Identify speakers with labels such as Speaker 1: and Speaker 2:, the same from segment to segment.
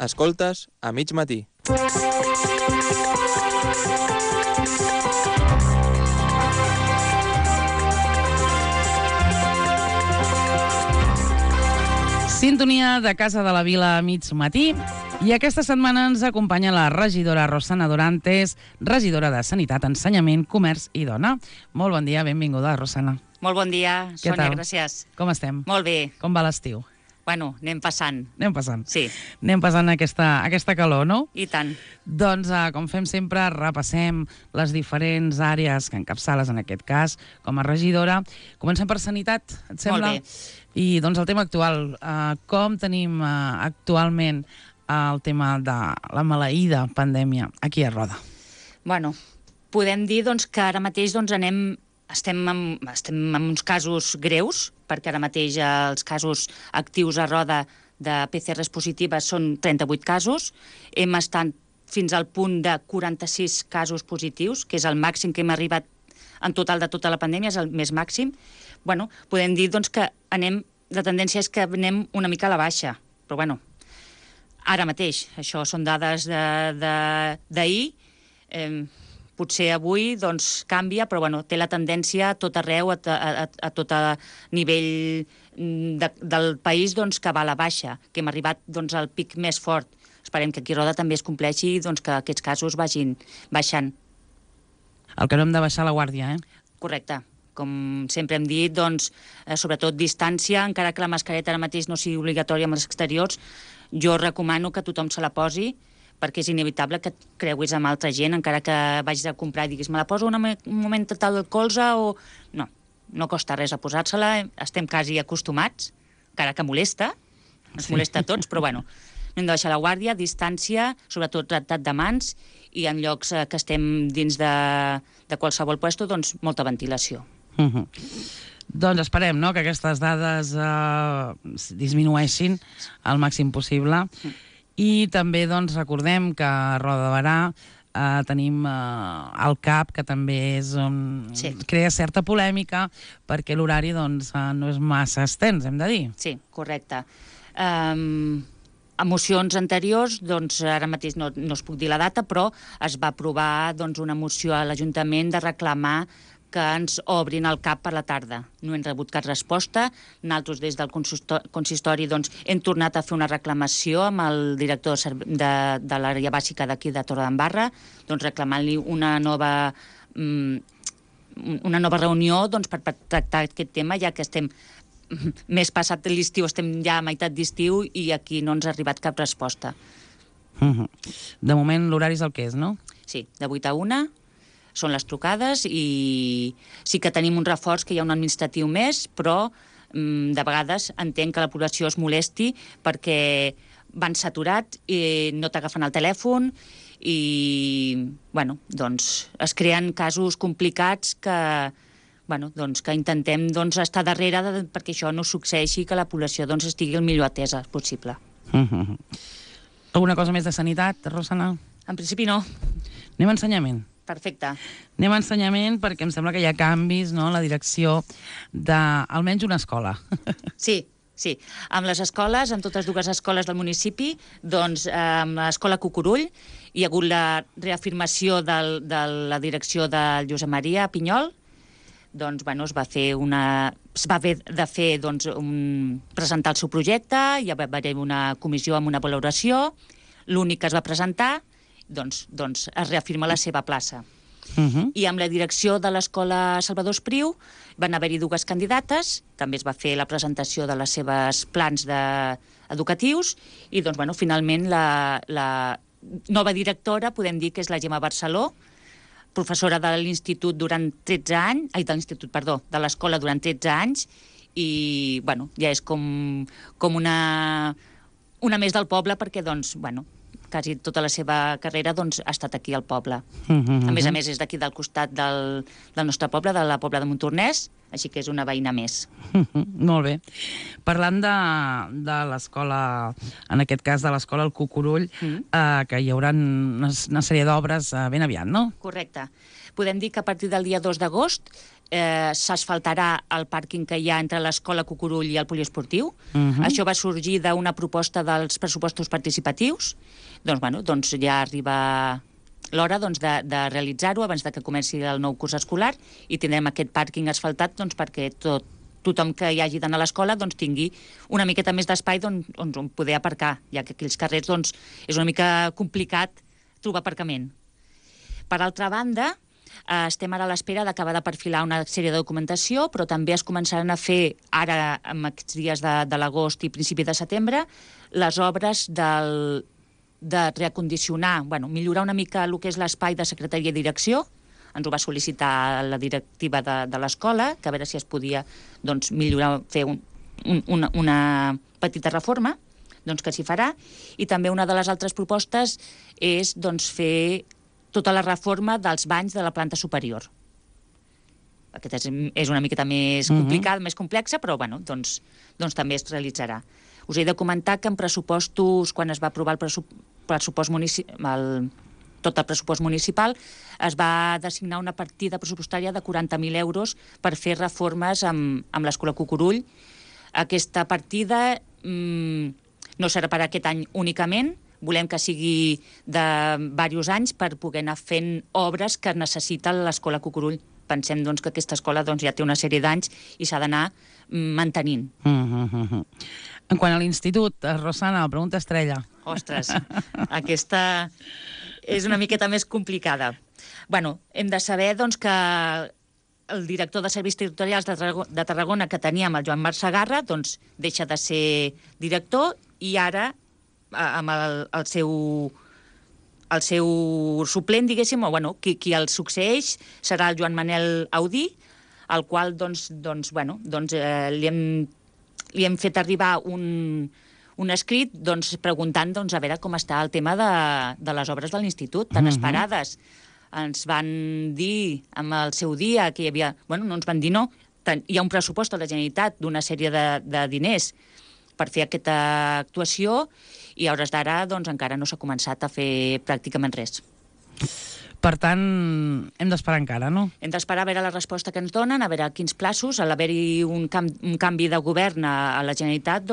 Speaker 1: Escoltes a mig matí.
Speaker 2: Sintonia de Casa de la Vila a mig matí. I aquesta setmana ens acompanya la regidora Rosana Dorantes, regidora de Sanitat, Ensenyament, Comerç i Dona. Molt bon dia, benvinguda, Rosana.
Speaker 3: Molt bon dia,
Speaker 2: Què
Speaker 3: Sònia,
Speaker 2: tal?
Speaker 3: gràcies.
Speaker 2: Com estem?
Speaker 3: Molt bé.
Speaker 2: Com va l'estiu?
Speaker 3: Bueno, anem passant.
Speaker 2: Anem passant.
Speaker 3: Sí.
Speaker 2: Anem passant aquesta calor, no?
Speaker 3: I tant.
Speaker 2: Doncs, com fem sempre, repassem les diferents àrees que encapçales, en aquest cas, com a regidora. Comencem per Sanitat, et sembla?
Speaker 3: Molt bé.
Speaker 2: I, doncs, el tema actual. Com tenim actualment el tema de la maleïda pandèmia aquí a Roda?
Speaker 3: Bueno, podem dir doncs, que ara mateix doncs, estem en uns casos greus, perquè ara mateix els casos actius a Roda de PCRs positives són 38 casos. Hem estat fins al punt de 46 casos positius, que és el màxim que hem arribat en total de tota la pandèmia, és el més màxim. Bueno, podem dir doncs, que la tendència és que anem una mica a la baixa, però bueno, ara mateix, això són dades d'ahir, potser avui doncs, canvia, però bueno, té la tendència a tot arreu, a tot nivell del país doncs, que va a la baixa, que hem arribat doncs, al pic més fort. Esperem que aquí a Roda també es compleixi doncs, que aquests casos vagin baixant.
Speaker 2: El que no hem de baixar la guàrdia,
Speaker 3: Correcte. Com sempre hem dit, doncs, sobretot distància, encara que la mascareta ara mateix no sigui obligatòria amb els exteriors, jo recomano que tothom se la posi, perquè és inevitable que et creuis amb altra gent, encara que vagis a comprar i diguis, me la poso un moment total del colze o... No costa res a posar-se-la, estem quasi acostumats, encara que molesta, ens molesta a tots, però bueno, no hem de baixar la guàrdia, distància, sobretot tractat de mans, i en llocs que estem dins de qualsevol puesto, doncs molta ventilació.
Speaker 2: Doncs esperem, no?, que aquestes dades disminueixin al màxim possible. I també doncs, recordem que a Roda de Berà tenim el CAP, que també és on crea certa polèmica, perquè l'horari doncs, no és massa extens, hem de dir.
Speaker 3: Sí, correcte. A mocions anteriors, doncs, ara mateix no us puc dir la data, però es va aprovar doncs, una moció a l'Ajuntament de reclamar que ens obrin el CAP per la tarda. No hem rebut cap resposta. Nosaltres, des del consistori, doncs, hem tornat a fer una reclamació amb el director de l'àrea bàsica d'aquí de Torredembarra, doncs, reclamant-li una nova reunió doncs, per tractar aquest tema, ja que estem més passat l'estiu, estem ja a meitat d'estiu i aquí no ens ha arribat cap resposta.
Speaker 2: De moment l'horari és el que és, no?
Speaker 3: Sí, de 8 a 1 són les trucades i sí que tenim un reforç, que hi ha un administratiu més, però de vegades entenc que la població es molesti perquè van saturat i no t'agafen el telèfon i, bueno, doncs es creen casos complicats que intentem doncs, estar darrere perquè això no succeeixi, que la població doncs, estigui el millor atesa possible.
Speaker 2: Alguna cosa més de sanitat, Rosana?
Speaker 3: En principi no.
Speaker 2: Anem a ensenyament.
Speaker 3: Perfecte.
Speaker 2: Anem a ensenyament perquè em sembla que hi ha canvis, no?, en la direcció d'almenys una escola.
Speaker 3: Sí. Amb les escoles, amb totes dues escoles del municipi, doncs amb l'escola Cucurull hi ha hagut la reafirmació de la direcció del Josep Maria Pinyol. Doncs, bueno, es va haver de fer presentar el seu projecte, hi va haver una comissió amb una valoració, l'únic que es va presentar doncs es reafirma la seva plaça. I amb la direcció de l'escola Salvador Espriu van haver-hi dues candidates, també es va fer la presentació de les seves plans educatius i doncs, bueno, finalment la nova directora podem dir que és la Gemma Barceló, professora de l'institut durant 13 anys, de l'escola durant 13 anys i, bueno, ja és com una més del poble perquè, doncs, bueno, quasi tota la seva carrera doncs, ha estat aquí al poble. A més, és d'aquí del costat del nostre poble, de la Pobla de Montornès, així que és una veïna més.
Speaker 2: Molt bé. Parlant de l'escola, en aquest cas de l'escola El Cucurull, que hi haurà una sèrie d'obres ben aviat, no?
Speaker 3: Correcte. Podem dir que a partir del dia 2 d'agost s'asfaltarà el pàrquing que hi ha entre l'escola Cucurull i el poliesportiu. Això va sorgir d'una proposta dels pressupostos participatius. Doncs ja arriba l'hora de realitzar-ho abans que comenci el nou curs escolar i tindrem aquest pàrquing asfaltat perquè tothom que hi hagi d'anar a l'escola tingui una miqueta més d'espai on poder aparcar, ja que aquí als carrers és una mica complicat trobar aparcament. Per altra banda, estem ara a l'espera d'acabar de perfilar una sèrie de documentació, però també es començaran a fer ara, en aquests dies de l'agost i principi de setembre, les obres de reacondicionar, millorar una mica el que és l'espai de secretaria i direcció. Ens ho va sol·licitar la directiva de l'escola, que a veure si es podia millorar, fer una petita reforma, que s'hi farà. I també una de les altres propostes és fer tota la reforma dels banys de la planta superior. Aquesta és una miqueta més complicada, més complexa, però també es realitzarà. Us he de comentar que en pressupostos, quan es va aprovar tot el pressupost municipal, es va designar una partida pressupostària de 40.000 euros per fer reformes amb l'escola Cucurull. Aquesta partida no serà per aquest any únicament, volem que sigui de diversos anys per poder anar fent obres que necessita l'escola Cucurull. Pensem que aquesta escola ja té una sèrie d'anys i s'ha d'anar mantenint.
Speaker 2: En quant a l'institut, Rosana, la pregunta estrella.
Speaker 3: Ostres, aquesta és una miqueta més complicada. Hem de saber que el director de Serveis Territorials de Tarragona que teníem, el Joan Marc Segarra, deixa de ser director i ara, amb el seu suplent, diguéssim, o qui el succeeix serà el Joan Manel Audí, al qual li hem fet arribar un escrit preguntant a veure com està el tema de les obres de l'institut, tan esperades. Ens van dir en el seu dia que hi havia... no ens van dir no. Hi ha un pressupost a la Generalitat d'una sèrie de diners per fer aquesta actuació i a hores d'ara encara no s'ha començat a fer pràcticament res.
Speaker 2: Per tant, hem d'esperar encara, no?
Speaker 3: Hem d'esperar a veure la resposta que ens donen, a veure quins plaços. Al haver-hi un canvi de govern a la Generalitat,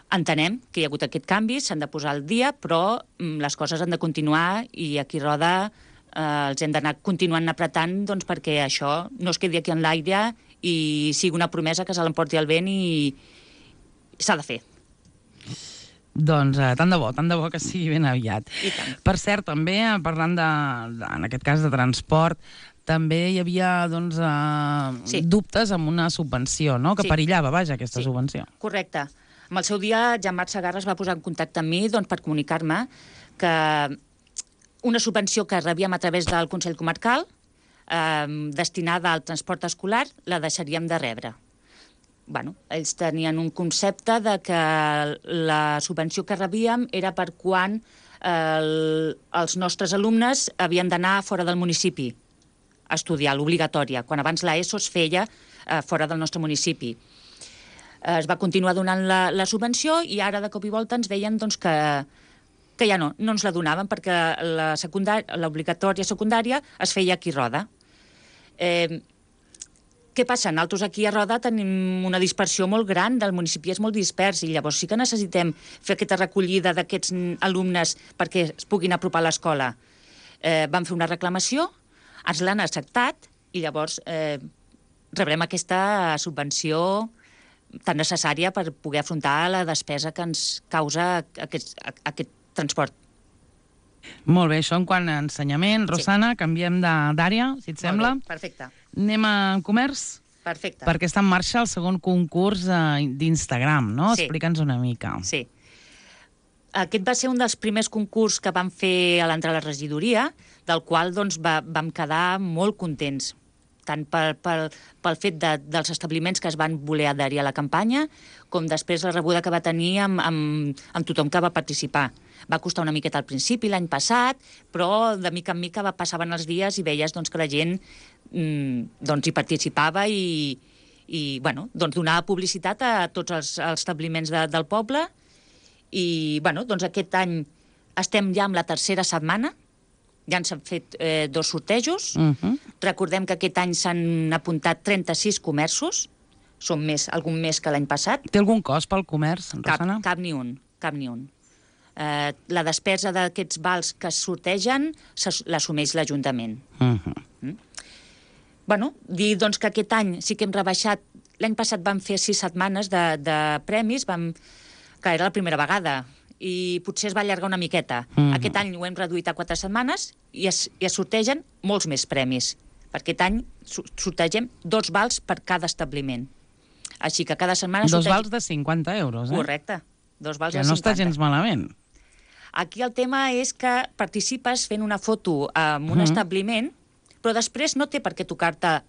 Speaker 3: entenem que hi ha hagut aquest canvi, s'han de posar al dia, però les coses han de continuar i aquí Roda els hem d'anar continuant apretant perquè això no es quedi aquí en l'aire i sigui una promesa que se l'emporti el vent i s'ha de fer.
Speaker 2: Tant de bo que sigui ben aviat. Per cert, també, parlant en aquest cas de transport, també hi havia dubtes amb una subvenció, no? Que perillava, aquesta subvenció.
Speaker 3: Correcte. En el seu dia, Joan Marc Segarra es va posar en contacte amb mi per comunicar-me que una subvenció que rebíem a través del Consell Comarcal destinada al transport escolar la deixaríem de rebre. Ells tenien un concepte de que la subvenció que rebíem era per quan els nostres alumnes havien d'anar fora del municipi a estudiar, l'obligatòria, quan abans l'ESO es feia fora del nostre municipi. Es va continuar donant la subvenció i ara de cop i volta ens deien que ja no ens la donaven perquè l'obligatòria secundària es feia aquí a Roda. Què passa? Nosaltres aquí a Roda tenim una dispersió molt gran, del municipi és molt dispers i llavors sí que necessitem fer aquesta recollida d'aquests alumnes perquè es puguin apropar a l'escola. Vam fer una reclamació, ens l'han acceptat i llavors rebrem aquesta subvenció tan necessària per poder afrontar la despesa que ens causa aquest transport.
Speaker 2: Molt bé, això en quant a ensenyament. Rosana, canviem d'àrea, si et sembla.
Speaker 3: Molt bé, perfecte.
Speaker 2: Anem a comerç?
Speaker 3: Perfecte.
Speaker 2: Perquè està en marxa el segon concurs d'Instagram, no? Sí. Explica'ns una mica.
Speaker 3: Sí. Aquest va ser un dels primers concurs que vam fer a l'entrar a la regidoria, del qual vam quedar molt contents, tant pel fet dels establiments que es van voler adherir a la campanya, com després la rebuda que va tenir amb tothom que va participar. Va costar una miqueta al principi, l'any passat, però de mica en mica passaven els dies i veies que la gent hi participava i donava publicitat a tots els establiments del poble. I aquest any estem ja amb la tercera setmana Ja s'han fet 2 sortejos. Recordem que aquest any s'han apuntat 36 comerços. Són algun més que l'any passat.
Speaker 2: Té algun cost pel comerç, Rosana?
Speaker 3: Cap ni un. La despesa d'aquests vals que es sortegen l'assumeix l'Ajuntament. Bueno, dir doncs, que aquest any sí que hem rebaixat. L'any passat vam fer 6 setmanes de premis, que era la primera vegada, i potser es va allargar una miqueta. Aquest any ho hem reduït a 4 setmanes i es sortegen molts més premis. Per aquest any sortegem 2 vals per cada establiment. Així que cada setmana...
Speaker 2: 2 vals de 50 euros,
Speaker 3: Correcte, 2 vals de 50.
Speaker 2: Que no està gens malament.
Speaker 3: Aquí el tema és que participes fent una foto en un establiment, però després no té per què tocar-te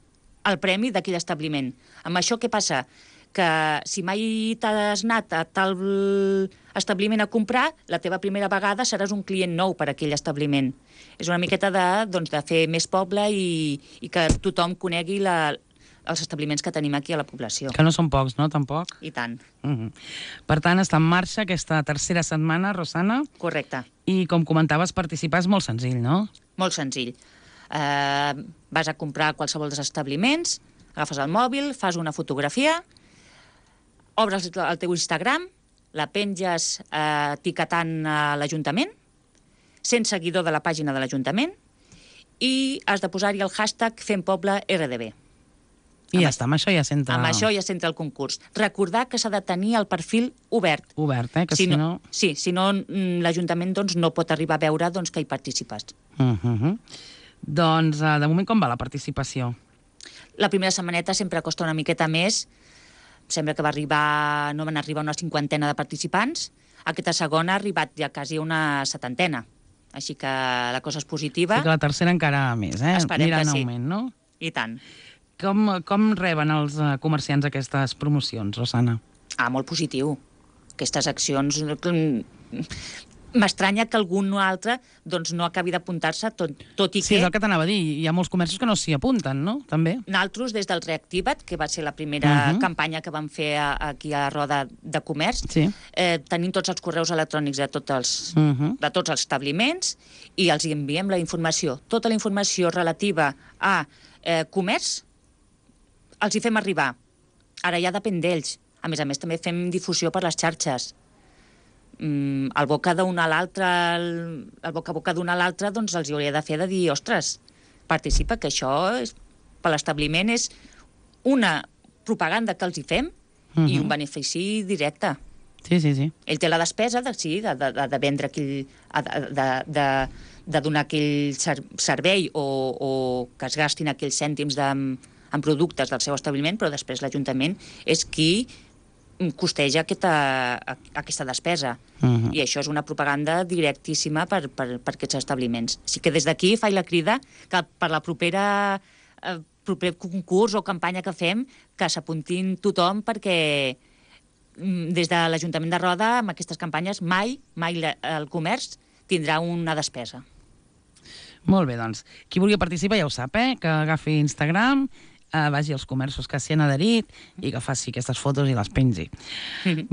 Speaker 3: el premi d'aquell establiment. Amb això què passa? Que si mai t'has anat a tal establiment a comprar, la teva primera vegada seràs un client nou per a aquell establiment. És una miqueta de fer més poble i que tothom conegui els establiments que tenim aquí a la població.
Speaker 2: Que no són pocs, no? Tampoc?
Speaker 3: I tant.
Speaker 2: Per tant, està en marxa aquesta tercera setmana, Rosana.
Speaker 3: Correcte.
Speaker 2: I, com comentaves, participar és molt senzill, no?
Speaker 3: Molt senzill. Vas a comprar a qualsevol dels establiments, agafes el mòbil, fas una fotografia, obres el teu Instagram, la penges etiquetant a l'Ajuntament, sent seguidor de la pàgina de l'Ajuntament, i has de posar-hi el hashtag FemPobleRDB.
Speaker 2: I ja està, amb això ja s'entra...
Speaker 3: Amb això ja s'entra el concurs. Recordar que s'ha de tenir el perfil obert.
Speaker 2: Obert, que si no...
Speaker 3: Sí, si no, l'Ajuntament no pot arribar a veure que hi participes.
Speaker 2: Doncs, de moment, com va la participació?
Speaker 3: La primera setmaneta sempre costa una miqueta més. Sembla que no van arribar una 50ena de participants. Aquesta segona ha arribat ja quasi una 70ena. Així que la cosa és positiva.
Speaker 2: Sí que la tercera encara més,
Speaker 3: Esperem
Speaker 2: anirà
Speaker 3: que
Speaker 2: en
Speaker 3: sí.
Speaker 2: augment, no?
Speaker 3: I tant.
Speaker 2: Com reben els comerciants aquestes promocions, Rosana?
Speaker 3: Molt positiu. Aquestes accions... M'estranya que algun altre no acabi d'apuntar-se, tot i que...
Speaker 2: Sí, és el que t'anava a dir. Hi ha molts comerços que no s'hi apunten, no? També.
Speaker 3: Nosaltres, des del Reactiva't, que va ser la primera campanya que vam fer aquí a Roda de Comerç, tenim tots els correus electrònics de tots els establiments i els enviem la informació. Tota la informació relativa a comerç els hi fem arribar. Ara ja depèn d'ells. A més, també fem difusió per les xarxes. El boca d'una a l'altra, el boca a boca d'una a l'altra, doncs els hi hauria de fer de dir, ostres, participa, que això per l'establiment és una propaganda que els hi fem i un benefici directe.
Speaker 2: Sí.
Speaker 3: Ell té la despesa de vendre de donar aquell servei o que es gastin aquells cèntims en productes del seu establiment, però després l'Ajuntament és qui costeja aquesta despesa. I això és una propaganda directíssima per aquests establiments. Així que des d'aquí faig la crida que per la proper concurs o campanya que fem, que s'apuntin tothom, perquè des de l'Ajuntament de Roda, amb aquestes campanyes, mai el comerç tindrà una despesa.
Speaker 2: Molt bé, doncs. Qui vulgui participar ja ho sap, que agafi Instagram, vagi als comerços que s'hi han adherit i que faci aquestes fotos i les pengi.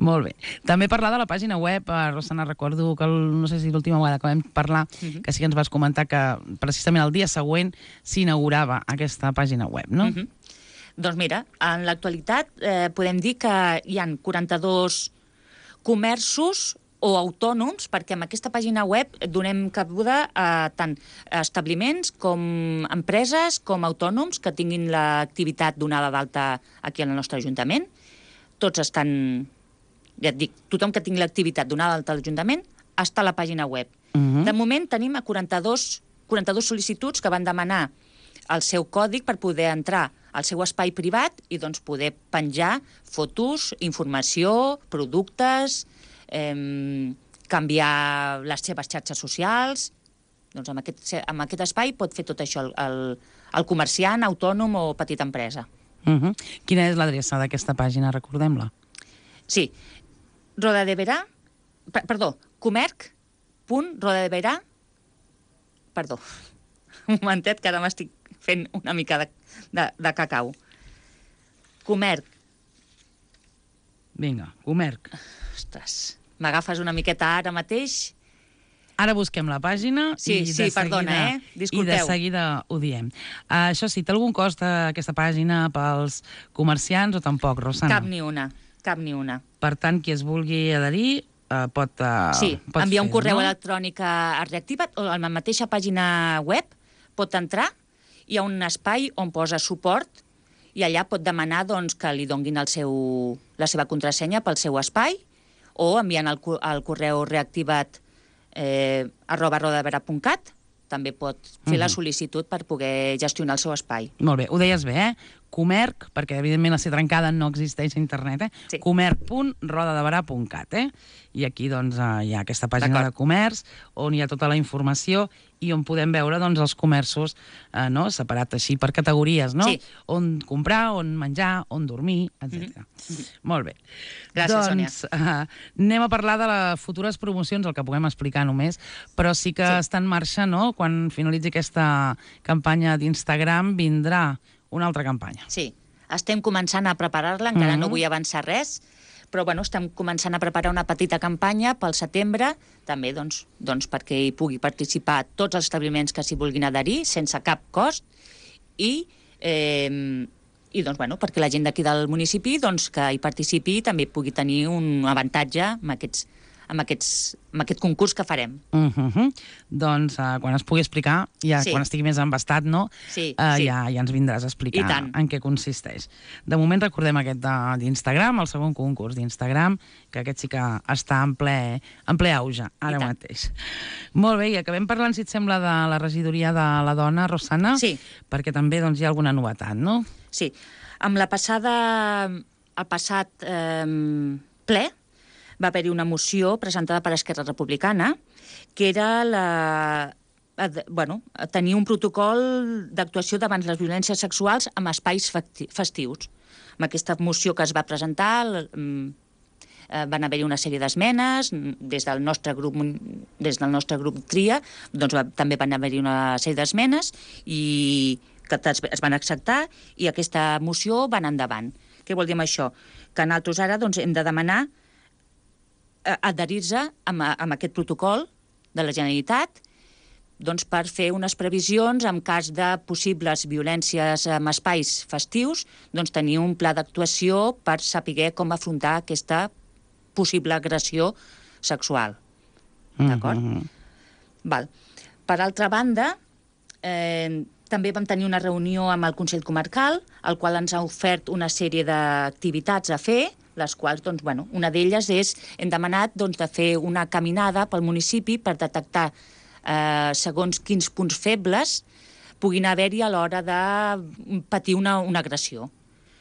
Speaker 2: Molt bé. També parlar de la pàgina web, Rosana, recordo que no sé si l'última vegada que vam parlar, que sí que ens vas comentar que precisament el dia següent s'inaugurava aquesta pàgina web, no?
Speaker 3: Doncs mira, en l'actualitat podem dir que hi ha 42 comerços o autònoms, perquè amb aquesta pàgina web donem cabuda a tant establiments com empreses, com autònoms que tinguin l'activitat donada d'alta aquí al nostre Ajuntament. Tots estan, ja et dic, tothom que tingui l'activitat donada d'alta a l'Ajuntament està a la pàgina web. De moment tenim 42 sol·licituds que van demanar el seu còdig per poder entrar al seu espai privat i doncs poder penjar fotos, informació, productes, canviar les seves xarxes socials. Doncs amb aquest espai pot fer tot això el comerciant, autònom o petita empresa.
Speaker 2: Quina és l'adreça d'aquesta pàgina? Recordem-la.
Speaker 3: Sí, comerc.rodadeverà. Perdó, un momentet que ara m'estic fent una mica de cacau. Comerc.
Speaker 2: Vinga, comerc.
Speaker 3: Ostres, m'agafes una miqueta ara mateix.
Speaker 2: Ara busquem la pàgina
Speaker 3: Sí, perdona, disculpeu.
Speaker 2: I de seguida ho diem. Això sí, té algun cost aquesta pàgina pels comerciants o tampoc, Rosana?
Speaker 3: Cap ni una.
Speaker 2: Per tant, qui es vulgui adherir pot
Speaker 3: enviar un correu
Speaker 2: no?
Speaker 3: electrònic a Reactiva't o a la mateixa pàgina web pot entrar, hi ha un espai on posa suport i allà pot demanar doncs, que li donguin la seva contrasenya pel seu espai o enviant el correu reactivat @rodadevera.cat també pot fer la sol·licitud per poder gestionar el seu espai.
Speaker 2: Molt bé, ho deies bé, Comerc, perquè evidentment la C trencada no existeix a internet,
Speaker 3: Sí.
Speaker 2: comerc.rodadeberà.cat, I aquí doncs, hi ha aquesta pàgina de comerç on hi ha tota la informació i on podem veure doncs, els comerços separat així per categories, no?
Speaker 3: Sí.
Speaker 2: On comprar, on menjar, on dormir, etc. Molt bé.
Speaker 3: Gràcies,
Speaker 2: doncs, anem a parlar de les futures promocions, el que puguem explicar només, però sí que està en marxa, no? Quan finalitzi aquesta campanya d'Instagram vindrà una altra campanya.
Speaker 3: Sí, estem començant a preparar-la, encara no vull avançar res, però bueno, estem començant a preparar una petita campanya pel setembre, també doncs, perquè hi pugui participar tots els establiments que s'hi vulguin adherir, sense cap cost, i doncs, bueno, perquè la gent d'aquí del municipi doncs, que hi participi també pugui tenir un avantatge amb aquest concurs que farem.
Speaker 2: Doncs quan es pugui explicar, quan estigui més embastat, no? Ja ens vindràs a explicar en què consisteix. De moment recordem aquest d'Instagram, el segon concurs d'Instagram, que aquest sí que està en ple auge, ara mateix. Molt bé, i acabem parlant, si et sembla, de la regidoria de la dona, Rosana?
Speaker 3: Sí.
Speaker 2: Perquè també hi ha alguna novetat, no?
Speaker 3: Sí. Amb el passat ple, va haver-hi una moció presentada per Esquerra Republicana que era tenir un protocol d'actuació davant les violències sexuals en espais festius. Amb aquesta moció que es va presentar van haver-hi una sèrie d'esmenes des del nostre grup TRIA, doncs també van haver-hi una sèrie d'esmenes i que es van acceptar i aquesta moció va anar endavant. Què vol dir amb això? Que nosaltres ara hem de demanar adherir-se amb aquest protocol de la Generalitat doncs, per fer unes previsions en cas de possibles violències en espais festius, doncs tenir un pla d'actuació per saber com afrontar aquesta possible agressió sexual. D'acord? Val. Per altra banda, també vam tenir una reunió amb el Consell Comarcal, el qual ens ha ofert una sèrie d'activitats a fer, les quals, doncs, una d'elles és, hem demanat de fer una caminada pel municipi per detectar segons quins punts febles puguin haver-hi a l'hora de patir una agressió.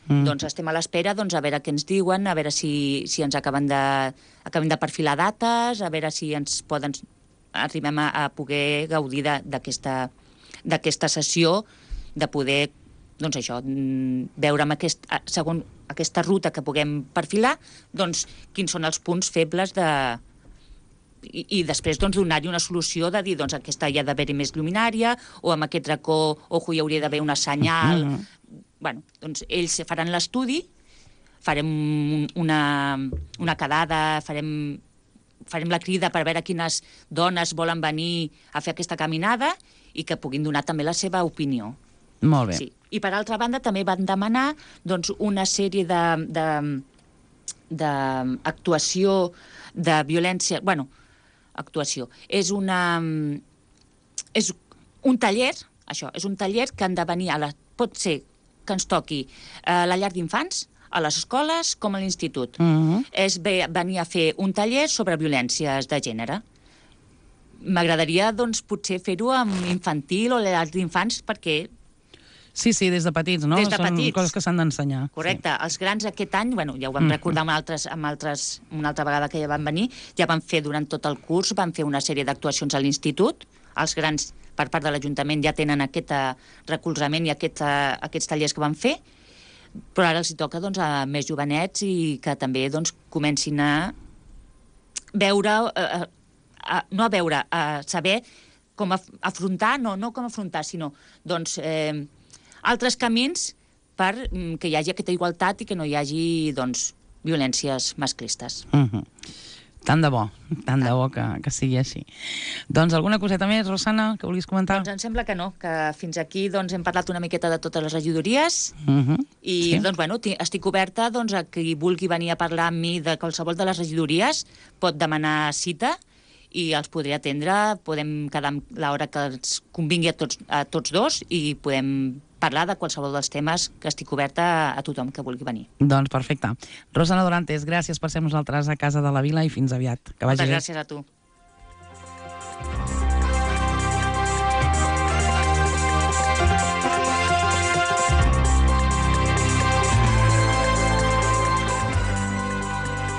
Speaker 3: Doncs estem a l'espera a veure què ens diuen, a veure si ens acabem de perfilar dates, a veure si arribem a poder gaudir d'aquesta sessió, de poder doncs això, veure segons aquesta ruta que puguem perfilar, doncs quins són els punts febles i després donar-hi una solució de dir, doncs aquesta hi ha d'haver-hi més lluminària, o amb aquest racó, hi hauria d'haver una senyal. Doncs ells faran l'estudi, farem una quedada, farem la crida per veure quines dones volen venir a fer aquesta caminada i que puguin donar també la seva opinió.
Speaker 2: Molt bé.
Speaker 3: Sí. I per altra banda també van demanar una sèrie d'actuació de violència... actuació. És un taller, això, és un taller que han de venir pot ser que ens toqui a la llar d'infants, a les escoles com a l'institut. És venir a fer un taller sobre violències de gènere. M'agradaria, doncs, potser fer-ho amb infantil o llar d'infants perquè...
Speaker 2: Sí, des de petits, no?
Speaker 3: Des de
Speaker 2: Són
Speaker 3: petits.
Speaker 2: coses que s'han d'ensenyar.
Speaker 3: Correcte. Els grans aquest any, ja ho vam recordar una altra vegada que ja van venir, ja van fer durant tot el curs, van fer una sèrie d'actuacions a l'institut. Els grans, per part de l'Ajuntament, ja tenen aquest recolzament i aquests tallers que van fer, però ara els toca a més jovenets i que també comencin a veure, a saber com afrontar, no com afrontar, sinó altres camins perquè hi hagi aquesta igualtat i que no hi hagi violències masclistes.
Speaker 2: Tant de bo que sigui així. Doncs alguna coseta més, Rosana, que vulguis comentar?
Speaker 3: Doncs em sembla que no, que fins aquí doncs, hem parlat una miqueta de totes les regidories i
Speaker 2: Sí.
Speaker 3: doncs, bueno, estic oberta doncs, a qui vulgui venir a parlar amb mi de qualsevol de les regidories, pot demanar cita i els podré atendre, podem quedar amb l'hora que ens convingui a tots dos i podem parlar de qualsevol dels temes, que estic oberta a tothom que vulgui venir.
Speaker 2: Doncs perfecte. Rosana Dorantes, gràcies per ser amb nosaltres a Casa de la Vila i fins aviat. Que vagi
Speaker 3: Moltes
Speaker 2: bé.
Speaker 3: gràcies a tu.